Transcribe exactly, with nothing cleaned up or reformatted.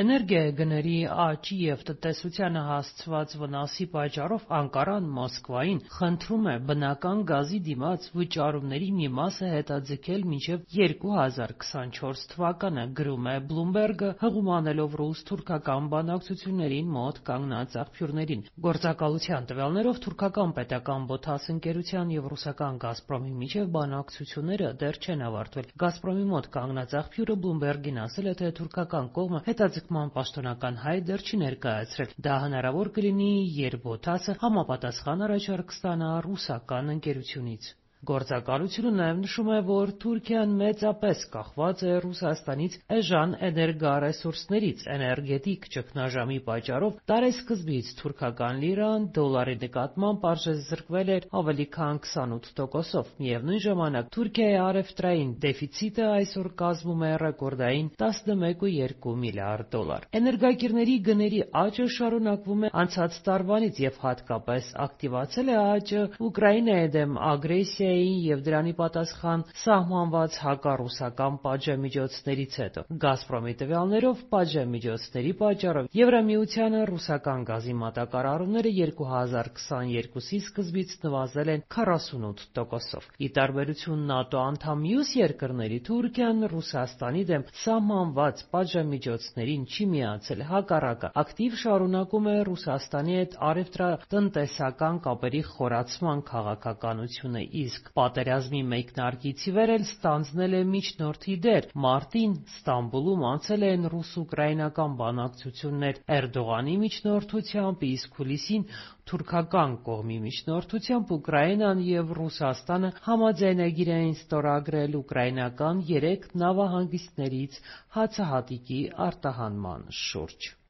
Էներգիագների աճի և տնտեսությանը հասցված վնասի պատճառով Անկարան Մոսկվային խնդրում է բնական գազի դիմաց վճարումների մի մասը հետաձգել մինչև երկու հազար քսանչորս թվականը, գրում է Bloomberg-ը, հղում անելով ռուս-թուրքական բանակցություններին մոտ կանգնած աղբյուրներին։ Գործակալության տվյալներով թուրքական պետական ԲՈԹԱՍ ընկերության և ռուսական «Գազպրոմի» միջև բանակցությունները դեռ չեն ավարտվել։ «Գազպրոմի» մոտ կանգնած աղբյուրը Bloomberg-ին ասել է, թե թուրքական կողմը հետաձգման պաշտոնական հայտ դեռ չի ներկայացրել։ Դա հնարավոր կլինի, երբ ԲՈԹԱՍ-ը համապատասխան առաջարկ ստանա ռուսական ընկերությունից։ Գործակալությունը նաև նշում է, որ Թուրքիան մեծապես կախված է Ռուսաստանից էժան էներգառեսուրսներից։ Էներգետիկ ճգնաժամի պատճառով տարեսկզբից թուրքական լիրան դոլարի նկատմամբ արժեզրկվել էր ավելի քան քսանութ տոկոսով։ Միևնույն ժամանակ Թուրքիայի առևտրային դեֆիցիտը այսօր կազմում է ռեկորդային տասնմեկ կόμμα երկու միլիարդ դոլար։ Էներգակիրների գների աճը շարունակվում է անցած տարվանից և հատկապես ակտիվացել է աճը Ուկրաինայի դեմ ագրեսիայի և դրանի պատասխան սահմանված հակառուսական պատժամիջոցներից հետո։ «Գազպրոմի» տվյալներով պատժամիջոցների պատճառով Եվրամիությանը ռուսական գազի մատակարարումները երկու հազար քսաներկուսի սկզբից նվազել են քառասունութ տոկոսով։ Ի տարբերություն ՆԱՏՕ անդամ մյուս երկրների, Թուրքիան Ռուսաստանի դեմ սահմանված պատժամիջոցներին չի միացել, հակառակը, ակտիվ շարունակում է Ռուսաստանի հետ առևտրատնտեսական կապերի խորացման քաղաքականությունը, իսկ պատերազմի մեկնարկից ի վեր էլ ստանձնել է միջնորդի դեր։ Մարտին Ստամբուլում անցել են ռուս-ուկրաինական բանակցություններ Էրդողանի միջնորդությամբ, իսկ հուլիսին թուրքական կողմի միջնորդությամբ Ուկրաինան և Ռուսաստանը համաձայնագիր էին ստորագրել ուկրաինական երեք նավահանգիստներից հացահատիկի արտահանման շուրջ։